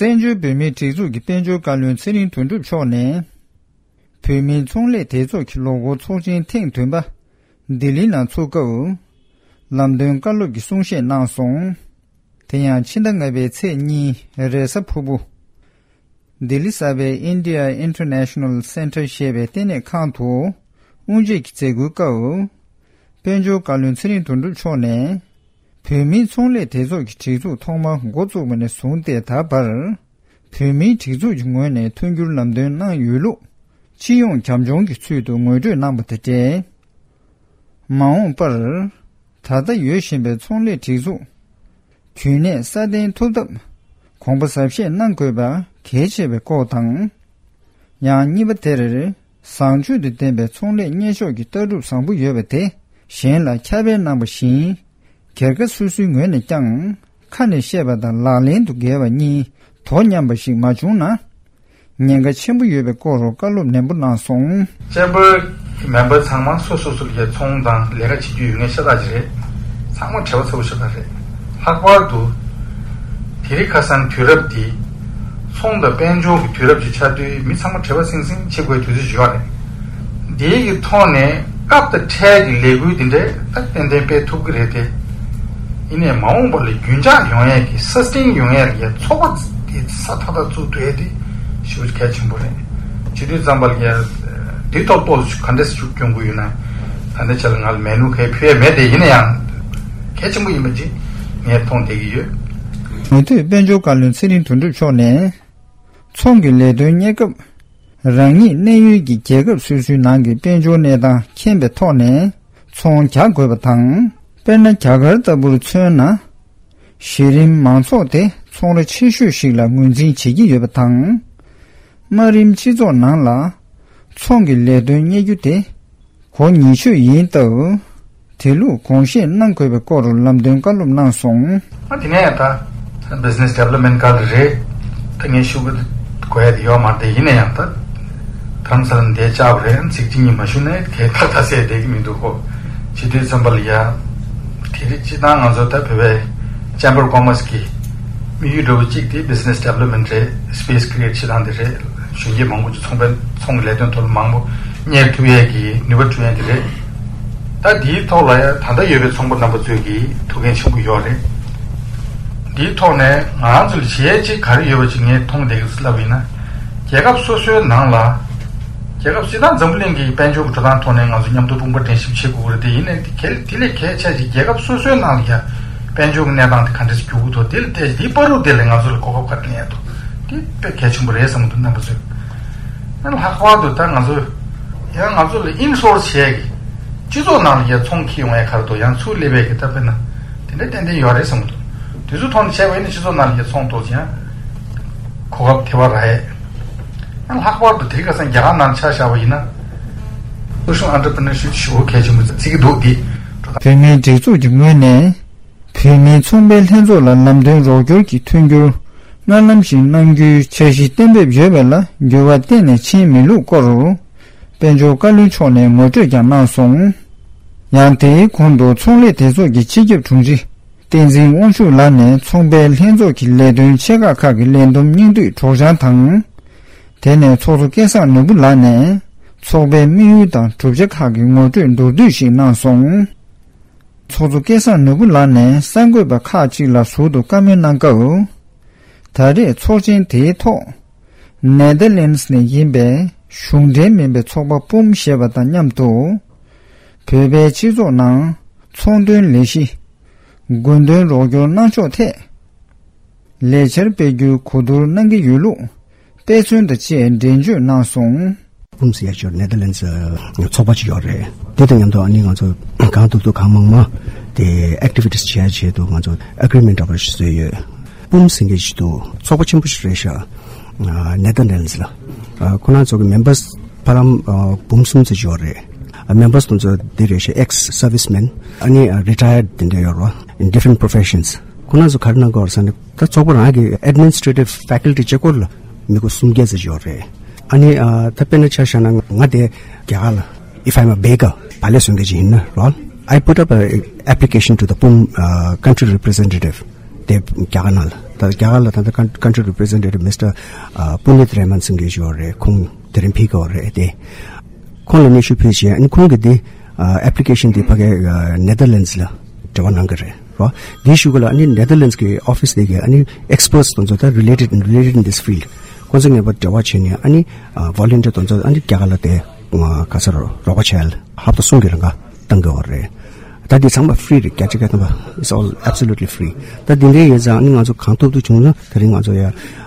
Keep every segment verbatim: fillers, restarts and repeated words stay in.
བཙན་བྱོལ་བོད་མིའི་སྒྲིག་འཛུགས་ཀྱི་དཔལ་འབྱོར་བཀའ་བློན་ཚེ་རིང་དོན་གྲུབ་མཆོག་ནས། བོད་མིའི་ཚོང་ལས་སྡེ་ཚོགས་ཀྱི་ལོ་འཁོར་ཚོགས་ཆེན་ཐེངས་བདུན་པ་ལྡི་ལི་ནང་ཚོགས་སྐབས། ལམ་སྟོན་བཀའ་སློབ་ཀྱི་གསུང་བཤད་གནང་སོང་། དེ་ཡང་ཕྱི་ཟླ་ལྔ་པའི་ཚེས་གཉིས་རེས་གཟའ་ཕུར་བུ། ལྡི་ལི་གསར་པའི་India International Center ཞེས་པའི་ལྟེ་གནས་ཁང་དུ་དབུ་འབྱེད་ཀྱི་མཛད་སྒོའི་སྐབས། དཔལ་འབྱོར་བཀའ་བློན་ཚེ་རིང་དོན་གྲུབ་མཆོག་ནས། བོད་མིའི་ཚོང་ལས་སྡེ་ཚོགས་ཀྱི་སྒྲིག་འཛུགས་ཐོག་མར་འགོ་བཙུགས་པ་ནས་བཟུང་སྟེ་ད་བར། བོད་མིའི་སྒྲིག་འཛུགས་ཀྱི་ངོས་ནས་མཐུན་འགྱུར་ལམ་སྟོན་གནང་ཡོད་ལུགས། སྤྱི་ཡོངས་རྒྱབ་ལྗོངས་ཀྱི་ཚུལ་དུ་ངོ་སྤྲོད་གནང་པ་དང་འབྲེལ། མ་འོངས་པར། ད་ལྟ་ཡོད་བཞིན་པའི་ཚོང་ལས་སྒྲིག་འཛུགས། རྒྱུན་གནས་སྲ་བརྟན་ཐུབ་ཐབས། གོང་འཕེལ་ཟབ་ཤེས་གནང་དགོས་པ་གལ་ཆེ་བའི་སྐོར་དང་། ཡང་གཉིས་པ་དེར། བཟང་སྤྱོད་དང་ལྡན་པའི་ཚོང་ལས་གཉེར་ཕྱོགས་ཀྱི་ལྟ་གྲུབ་བཟང་པོ་ཡོད་པ་དེ་གཞན་ལ་ཁྱབ་སྤེལ་གནང་པ་བཞིན། སྒེར་ཁ་སོ་སོའི་ངོས་ནས་ཀྱང་ཁ་ནས་བཤད་པ་དང་ལག་ལེན་དུ་འགེལ་བ་གཉིས་དོ་མཉམ་པ་ཞིག་མ་བྱུང་ན། ཉེན་ཁ་ཆེན་པོ་ཡོད་པའི་སྐོར་བཀའ་སློབ་ནན་པོ་གནང་སོང་། ཅེམ་པར་གྱི་མེམ་པར་ཚང་མ་སོ་སོ་སོ་ལ་ཚོང་དང་ལས་ཀ་བྱེད་རྒྱུ་ཡོད་མཁན་ཤ་སྟག་ཅིག་རེད། ཚང་མ་བྲེལ་བ་ཚ་པོ་ཤ་སྟག་རེད། ལྷག་པར་དུ། དེ་རིང་ཁ་སང་དུས་རབས་འདི། ཚོང་དང་དཔལ་འབྱོར་གྱི་དུས་རབས་ཅིག་ཆགས་དུས་མི་ཚང་མ་བྲེལ་བ་ཟིང་ཟིང་བྱེད་དགོས་དུས་ཚོད་ཅིག་ཡོད་རེད། འདིའི་གི་ཐོག་ནས་སྐབས་དང་འཕྲལ་གྱི་ལས་འགུལ་འདི་འདྲ་ད་ཏན་ཏན་སྤེལ་ཐུབ་ཀྱི་རེད་དེ། ཡིན་ནའི་མ་འོངས་པ་ལ་རྒྱུན་འཇགས་ཡོང་ཡས་ཀྱི་སསྟེན་ཡོང་ཡས་ཀྱི་ཚོགས་པ་དེ་ས་ཐག་ཐག་བཙུགས་ཐུབ་ཡས་དེ་ཞེ་པོ་གལ་ཆེན་པོ་རེད། བྱེད་དུས་ཙམ་པ་ལ་ཡ་འདི་ཐོག་ཏོག་ཙམ་ག་འདྲས་ཤུགས་སྐྱོན་དགོས་ཡོད་ན། ད་ནི་ཆ་ལ་ང་ལ་མེད་ནུ་གས་ཕུལ་ཡས་མེད་དེ། ཡིན་ན་ཡང་གལ་ཆེན་པོ་ཡིན་པ་ཅིག་ངས་མཐོང་བསྡད་ཀྱི་ཡོད། མུ་མཐུད་དཔལ་འབྱོར་བཀའ་བློན་ཚེ་རིང་དོན་གྲུབ་མཆོག་ནས། ཚོང་གི་ལས་དོན་གཉེར་སྐབས། རང་ཉིད་གནས་ཡུལ་གྱི་རྒྱལ་ཁབ་སོ་སོའི་ནང་གི་དཔལ་འབྱོར་གནས་སྟངས་མཁྱེན་པའི་ཐོག་ནས་ཚོང་རྒྱག་དགོས་པ་དང་། དཔེར་ན། རྒྱ་གར་ལྟ་བུར་མཚོན་ན། གཞི་རིམ་མང་ཚོགས་དེ་ཚོང་ར་ཆེ་ཤོས་ཤིག་ལ་ངོས་འཛིན་བྱེད་ཀྱི་ཡོད་པ་དང་། དམའ་རིམ་སྤྱི་ཚོགས་ནང་ལ་ཚོང་གི་ལས་དོན་གཉེར་རྒྱུ་དེ་གོ་ཉེ་ཤོས་ཡིན་སྟབས། དེ་ལུགས་དགོངས་བཞེས་གནང་དགོས་པའི་སྐོར་ལམ་སྟོན་བཀའ་སློབ་གནང་སོང་། ཨ་དེ་ནས་ད་བི་ཛི་ནེ་སི་ཌི་ཝེ་ལོབ་མེན་ཊི་སྐོར་རེད། ད་ངས་ཞུ་གི་དགོས་ཡ་དེ་ཡོད་མ་རེད། ཡིན་ན་ཡང་ད་དྷ་རམ་ས་ལ་འདིར་བཅར་བ་རེད། ཚིག་གཅིག་གཉིས་མ་ཞུ་ན་གས་ད་ད་ཟེར་བསྡད་ཀྱི་མི་འདུག་གོ། བྱེད་དུས་ཙམ་པ་ལ་ཡ། དེ་རིང་སྤྱིར་བཏང་ང་ཚོ་ད་བོད་པའི་ཅེམ་བར་ཨོཕ་ཀོ་མར་སི་གི་དམིགས་ཡུལ་འདྲ་བོ་གཅིག་དེ་བི་ཛི་ནེ་སི་ཌི་ཝེ་ལོབ་མེན་ཊི་རེད། སི་པེ་སི་ཀི་རི་ཨེ་ཊི་བྱེད་སྟངས་དེ་རེད། གཞོན་སྐྱེས་མང་པོ་ཅིག་ཚོང་པའི་ཚོང་གི་ལས་དོན་ཐོག་ལ་མང་པོ་གཉེར་ཐུབ་ཡས་ཀྱི་ནུས་པ་བསྐྲུན་ཡས་དེ་རེད། ད་འདིའི་ཐོག་ལ་ཡང་ད་ལྟ་ཡོད་པའི་ཚོང་པ་རྣམ་པ་ཚོས་ཀྱི་ཐུགས་འགན་ཆེན་པོ་ཡོད་རེད། འདིའི་ཐོག་ནས་ང་རང་ཚོ་ལ་བྱེད་ཡས་ཅིག་ག་རེ་ཡོད་པ་ཅིག་ངས་མཐོང་བསྡད་ཀྱི་ལབ་ཡིན་ན། རྒྱལ་ཁབ་སོ་སོའི་ནང་ལ། རྒྱལ་ཁབ་སྤྱིར་བཏང་འཛམ་བུ་གླིང་གི་དཔལ་འབྱོར་གྱི་འགྲོ་སྟངས་ཐོག་ནས་ང་ཚོ་མཉམ་དུ་དཔུང་པ་འགྲན་ཞིབ་བྱེད་དགོས་ཀྱི་རེད་དེ། ཡིན་ནའི་དེ་གལ་དེ་ལས་གལ་ཆེ་ཅིག་རྒྱལ་ཁབ་སོ་སོའི་ནང་ལ་ཡང་དཔལ་འབྱོར་གྱི་གནས་སྟངས་དེ་ག་འདྲ་ཞིག་འགྱུར་གྱི་འདུག་དེ་ལ་བལྟས་ཏེ་འདིའི་བར་དུ་དེ་ལ་ང་ཚོ་ལ་གོ་སྐབས་ག་རེ་ལེན་ཡས་འདུག་དེ་དཔེ་གལ་ཆེན་པོ་རེད་བསམ་གྱི་འདུག་རྣམ་པ་ཚོས། ཨ་ལྷག་པར་དུ་ད་ང་ཚོས་ཡང་ང་ཚོ་ལ་ཨིན་སོར་སི་བྱས་ཀྱི་སྤྱི་ཚོགས་ནང་ལ་ཡ་ཚོང་འཁྱེར་ཡོང་ཡ་ག་རེ་འདུག་ཡང་ཚུར་སླེབས་ཡས་ཀྱི་ད་དཔེར་ན་དེ་འདྲ་ཏན་ཏན་ཡོད་རེད་བསམ་གྱི་འདུག་དེ་ཚོ་ཐོག་ནས་བྱས་པ་ཡིན་ན་སྤྱི་ཚོགས་ནང་ལ་ཡ་ཚོང་གཏོང་ཡང་གོ་སྐབས་དེ་བ་རག་ཡས། ཡང་ལྷག་པར་དུ་དེ་རིང་ཁ་སང་རྒྱ་གར་ནང་ཆ་བཞག་པ་ཡིན་ན། སོ་ཤལ་ཨན་ཊར་པི་ནར་ཤིབ་ཞེ་པོ་གལ་ཆེན་པོ་བརྩི་གི་འདུག་འདི། བོད་མིའི་སྒྲིག་འཛུགས་ཀྱི་ངོས་ནས། བོད་མིའི་ཚོང་པའི་ལྷན་ཚོགས་ལ་ལམ་སྟོན་རོགས་སྐྱོར་གྱི་མཐུན་འགྱུར་སྔར་ལམ་བཞིན་གནང་རྒྱུའི་འཆར་གཞི་གཏན་འབེབས་ཡོད་པ་ལ་འགྱུར་བ་གཏན་ནས་ཕྱིན་མེད་ལུགས་སྐོར། དཔལ་འབྱོར་བཀའ་བློན་མཆོག་ནས་ངོ་སྤྲོད་ཀྱང་གནང་སོང་། ཡང་དེའི་གོང་དུ་ཚོང་ལས་སྡེ་ཚོགས་ཀྱི་སྤྱི་ཁྱབ་དྲུང་ཆེ་བསྟན་འཛིན་དབང་ཕྱུག་ལགས་ནས་ཚོང་པའི་ལྷན་ཚོགས་ཀྱི་ལས་དོན་ཆེ་ཁག་ཁག་གི་ལས་བསྡོམས་སྙིང་བསྡུས་སྒྲོག་སྦྱང་དང་། དེ་ནས་ཚོགས་གཙོ་སྐལ་བཟང་ནོར་བུ་ལགས་ནས་ཚོགས་པའི་དམིགས་ཡུལ་དང་གྲུབ་ཆ་ཁག་གི་ངོ་སྤྲོད་མདོར་བསྡུས་ཤིག་གནང་སོང་། ཚོགས་གཙོ་སྐལ་བཟང་ནོར་བུ་ལགས་ནས་གསར་འགོད་པ་ཁག་ཅིག་ལ་ཟུར་དུ་བཀའ་མོལ་གནང་སྐབས། ད་རེས་ཚོགས་ཆེན་དེའི་ཐོག་ནེ་དར་ལེན་སི་ནས་ཡིན་པའི་གཞུང་འབྲེལ་མིན་པའི་ཚོགས་པ་པུམ་ཞེས་པ་དང་མཉམ་དུ། བོད་པའི་སྤྱི་ཚོགས་ནང་ཚོང་དོན་ལས་གཞི། དགོས་འདུན་རོགས་སྐྱོར་གནང་ཕྱོགས་ཐད། ལས་འཆར་སྤེལ་རྒྱུའི་གོ་བསྡུར་གནང་གི་ཡོད་ལུགས་དཔེ་མཚོན་དང་བཅས་འགྲེལ་བརྗོད་གནང་སོང་། པུམ་ཟེར་ཡ་ཅིག་ཡོད་རེད། ནེ་དར་ལེན་སི་ཚོགས་པ་ཅིག་ཡོད་རེད། དེ་དང་མཉམ་དུ་ཨ་ནི་ང་ཚོ་གང་ཐུབ་ཐུབ་གང་མང་མང་དེ་ཨེག་ཊི་ཝི་ཊི་སི་བྱེད་ཡ་ཆེད་དུ་ང་ཚོ་ཨེག་རི་མེན་ཊི་འདྲ་པོ་ཞིག་བཟོས་ཡོད། པུམ་ཟེར་མཁན་ཞིག་འདུག་ཚོགས་པ་ཆེན་པོ་ཞིག་རེད་ཤག་ཨ་ནེ་དར་ལེན་སི་ལ། ཨ་ཁོ་རང་ཚོ་གི་མེམ་བར་སི་ཕར་ལམ་ཨ་འབུམ་གསུམ་ཙམ་ཅིག་ཡོད་རེད། ཨ་མེམ་བར་སི་དེ་ཚོ་འདི་རེད་ཤག་ཨེག་སི་སར་ཝི་སི་མེན། ཨ་ནི་ཨ་རི་ཊ་ཡར་དེ་འདྲ་ཡོད་རེད་བ། In different professions. ཁོ་རང་ཚོ་ག་རེ་གནང་གི་ཡོད་རེད་ཟེར་ན། ད་ཚོགས་པ་རང་གི་ཨེཌ་མི་ནི་སི་ཊི་རེ་ཊིབ་ཕེ་ཀལ་ཊི་གཅིག་པོ་ལ་མི་སྐོར་སུམ་བརྒྱ་ཙམ་ཡོད་རེད། ཨ་ནི་ཨ་ད་དཔེར་ན་ཆ་བཞག་ན་ང་དེ་རྒྱ་གར་ལ། If I'm a baker, བག་ལེབ་བཟོ་མཁན་ཅིག་ཡིན་ན་རོ། I put up a application to the PUM uh, country representative. དེ་རྒྱ་གར་ནང་ལ། ད་རྒྱ་གར་ལ་ད་ལྟ་country representative Mister Puneet Raman ཟེར་མཁན་ཞིག་ཡོད་རེད། ཁོང་དེ་རིང་ཕེབས་ཀྱི་ཡོད་རེད་དེ། ཁོང་ལ་སྙན་ཞུ་ཕུལ་བྱས། ཨ་ནི་ཁོང་གིས་འདི་application འདི་ཕ་གི་Netherlands ལ་འབྲེལ་བ་གནང་གི་རེད་རོ། འདིའི་གཞུག་ལ་ཨ་ནི་Netherlands གི་office འདི་གི་ཨ་ནི་experts དེ་ཚོ་ད་related in related in this field ཁོང་ཚོ་ངེས་པར་འབྲེལ་བ་བྱས་ནས། ཨ་ནི་volunteer དེ་ཚོ་ཨ་ནི་རྒྱ་གར་ལ་དེ་ག་ས་རོགས་པ་བྱས་ཧབ་ཏ་གསུམ་གྱི་རིང་ག་བཏང་གི་ཡོད་རེད། ད་འདི་ཚང་མ་free རེད། བརྒྱ་ཆ་བརྒྱ་ཐམ་པ། It's all absolutely free. ད་འདི་འདྲའི་ཡིན་ཙང་ཨ་ནི་ང་ཚོ་གང་ཐུབ་ཐུབ་བྱུང་ན། དེ་རིང་ང་ཚོ་ཡ་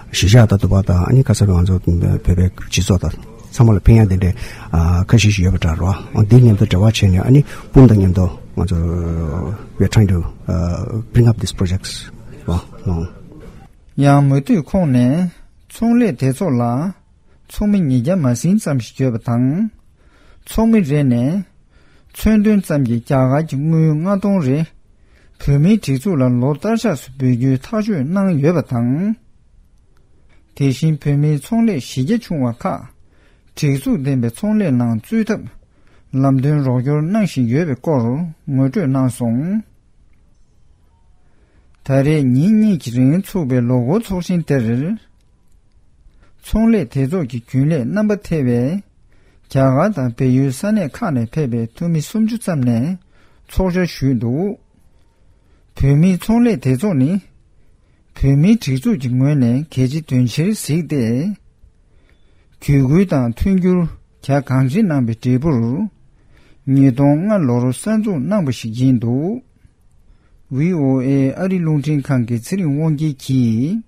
གཞིས་ཆགས་དང་འདུག་པ་དང་། ཨ་ནི་ག་ས་རོགས་ང་ཚོ་བོད་པའི་སྤྱི་ཚོགས་དང་ཚང་མ་ལ་ཕན་ཡག་དེ་འདྲའི་ཨ་ཁ་ཤས་ཤིག་ཡོད་པ་འདྲ་རོ། འདི་མཉམ་དུ་འབྲེལ་བ་བྱས་ནས། ཨ་ནི་སྤུན་དང་མཉམ་དུ་ང་ཚོ we are trying to uh, bring up these projects. ཡང་མུ་མཐུད་ཁོང་ནས་ཚོང་ལས་སྡེ་ཚོགས་ལ་ཚོགས་མི་ཉིས་བརྒྱ་མ་ཟིན་ཙམ་ཞིག་ཡོད་པ་དང་། ཚོགས་མི་རེ་ནས་མཚོན་དོན་ཙམ་གྱི་རྒྱ་གར་གྱི་དངུལ་ལྔ་སྟོང་རེ་བོད་མིའི་སྒྲིག་འཛུགས་ལ་ལོ་ལྟར་ཆགས་སུ་འབུལ་རྒྱུའི་ཐག་གཅོད་གནང་ཡོད་པ་དང་། དེ་བཞིན་བོད་མིའི་ཚོང་ལས་གཞི་རྒྱ་ཆུང་བ་ཁག་སྒྲིག་འཛུགས་ལྡན་པའི་ཚོང་ལས་ནང་བཙུད་ཐབས་ལམ་སྟོན་རོགས་སྐྱོར་གནང་བཞིན་ཡོད་པའི་སྐོར་ངོ་སྤྲོད་གནང་སོང་། ད་རེས་ཉིན་གཉིས་ཀྱི་རིང་ཚུགས་པའི་ལོ་འཁོར་ཚོགས་ཆེན་དེར། ཚོང་ལས་སྡེ་ཚོགས་ཀྱི་རྒྱུན་ལས་རྣམ་པ་ཐེ་བའི་རྒྱ་གར་དང་བལ་ཡུལ་ས་གནས་ཁག་ནས་ཕེབས་པའི་འཐུས་མི་སུམ་ཅུ་ཙམ་ནས་ཚོགས་བཅར་ཞུས་འདུག། བོད་མིའི་ཚོང་ལས་སྡེ་ཚོགས་ནི། བོད་མིའི་སྒྲིག་འཛུགས་ཀྱི་ངོས་ནས་གལ་ཆེ་དོན་ཆེར་གཟིགས་ཏེ། གུས་བཀུར་དང་མཐུན་འགྱུར་རྒྱ་གང་ཆེ་གནང་བའི་འབྲས་བུར། ཉིས་སྟོང་ལྔ་ལོར་གསར་འཛུགས་གནང་བ་ཞིག་ཡིན་འདུག། བྷི་ཨོ་ཨེ་ཨ་རི་རླུང་འཕྲིན་ཁང་གི་ཚེ་རིང་དབང་རྒྱལ་གྱིས།